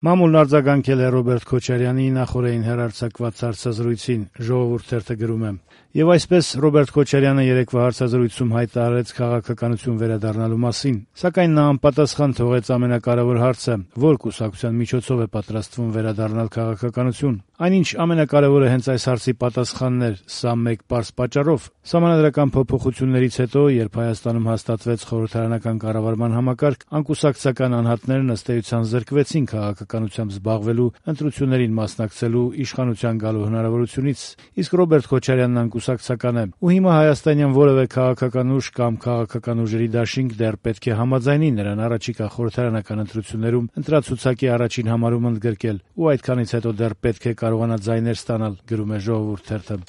Մամուլն արձագանքել է Ռոբերտ Քոչարյանի նախօրեին հեռարձակված հարցազրույցին, Ժողովուրդ թերթը գրում է. «Եվ այսպես Ռոբերտ Քոչարյանը երեկվա հարցազրույցում հայտարարեց քաղաքականություն վերադառնալու մասին, սակայն նա անպատասխան թողեց ամենակարևոր հարցը՝ որ կուսակցության միջոցով է պատրաստվում վերադառնալ քաղաքականություն։ Այնինչ ամենակարևորը հենց այս հարցի պատասխանն էր, սա մեկ պարզ պատճառով. Սահմանադրական փոփոխություններից հետո, երբ Հայաստանում հաստատվեց խորհրդարանական կառավարման համակարգ, անկուսակցական անհատներն ըստ էության զրկվեցին քաղաքականությամբ զբաղվելու, ընտրություններին մասնակցելու, իշխանության գալու հնարավորությունից, իսկ Ռոբերտ Քոչարյանն անկուսակցական է, ու հիմա հայաստանյան որևէ քաղաքական ուժ կամ քաղաքական ուժերի դաշինք դեռ պետք է համաձայնի նրան առաջիկա խորհրդարանական ընտրություններում ընտրացուցակի առաջին համարում ընդգրկել, ու այդքանից հետո դեռ պետք է կարողանա ձայներ ստանալ», գրում է Ժողովուրդ թերթը։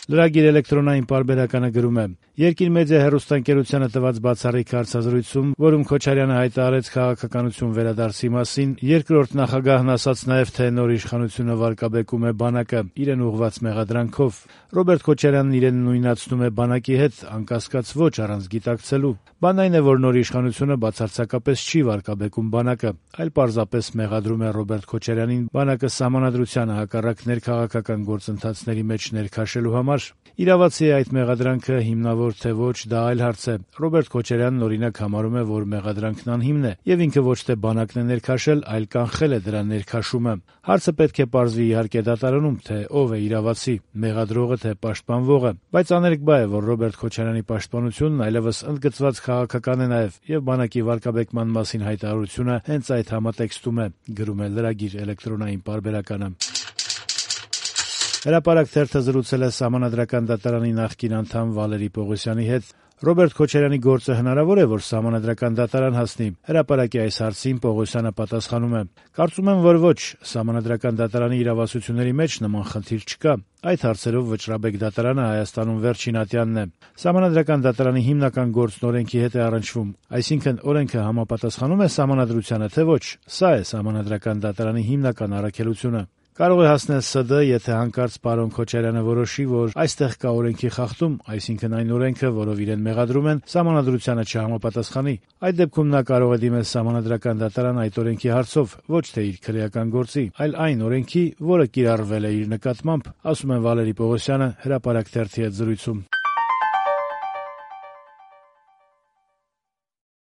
Լրագիր էլեկտրոնային պարբերականը գրում է. «Երկիր մեդիա հեռուստաընկերությանը տված բացառիկ հարցազրույցում, որում Քոչարյանը հայտարարեց քաղաքականություն վերադարձի մասին, երկրորդ նախագահն ասաց նաև, թե նոր իշխանությունը վարկաբեկում է բանակը՝ իրեն ուղղված մեղադրանքով։ Ռոբերտ Քոչարյանն իրեն նույնացնում է բանակի հետ, անկասկած ոչ առանց գիտակցելու։ Բանն այն է, որ նոր իշխանությունը բացարձակապես չի վարկաբեկում բանակը, այլ պարզապես մեղադրում է Ռոբերտ Քոչարյանին բանակը սահմանադրությանը հակառակ ներքաղաքական գործընթացների մեջ ներքաշելու համար։ Իրավացի է այդ մեղադրանքը, հիմնավոր թե ոչ, դա այլ հարց է։ Ռոբերտ Քոչարյանն օրինակ համարում է, որ մեղադրանքն անհիմն է, եւ ինքը ոչ թե բանակն է ներքաշել, այլ կանխել է դրա ներքաշումը։ Հարցը պետք է պարզվի իհարկե դատարանում, թե ով է իրավացի՝ մեղադրողը թե պաշտպանվողը, բայց աներկբա է, որ Ռոբերտ Քոչարյանի պաշտպանությունն այլևս ընդգծված քաղաքական է նաեւ, եւ բանակի վարկաբեկման մասին հայտարարությունը հենց այդ համատեքստում է», գրում է լրագիր էլեկտրոնային պարբերականը։ Հրապարակ թերթը զրուցել է Սահմանադրական դատարանի նախկին անդամ Վալերի Պողոսյանի հետ։ Ռոբերտ Քոչարյանի գործը հնարավոր է, որ Սահմանադրական դատարան հասնի։ Հրապարակի այս հարցին Պողոսյանը պատասխանում է. «Կարծում եմ, որ ոչ, Սահմանադրական դատարանի իրավասությունների մեջ նման խնդիր չկա։ Այդ հարցերով վճռաբեկ դատարանը Հայաստանում վերջին ատյանն է։ Սահմանադրական դատարանի հիմնական գործն օրենքի հետ է առնչվում, այսինքն օրենքը համապատասխանում է Սահմանադրությանը, թե ոչ։ Սա է Սահմանադրական դատարանի հիմնական առաքելությունը։ Կարող է հասնել ՍԴ, եթե հանկարծ պարոն Քոչարյանը որոշի, որ այստեղ կա օրենքի խախտում, այսինքն այն օրենքը, որով իրեն մեղադրում են, Սահմանադրությանը չհամապատասխանի։ Այդ դեպքում նա կարող է դիմել Սահմանադրական դատարան այդ օրենքի հարցով, ոչ թե իր քրեական գործի, այլ այն օրենքի, որը կիրառվել է իր նկատմամբ», ասում է Վալերի Պողոսյանը Հրապարակ թերթի հետ զրույցում։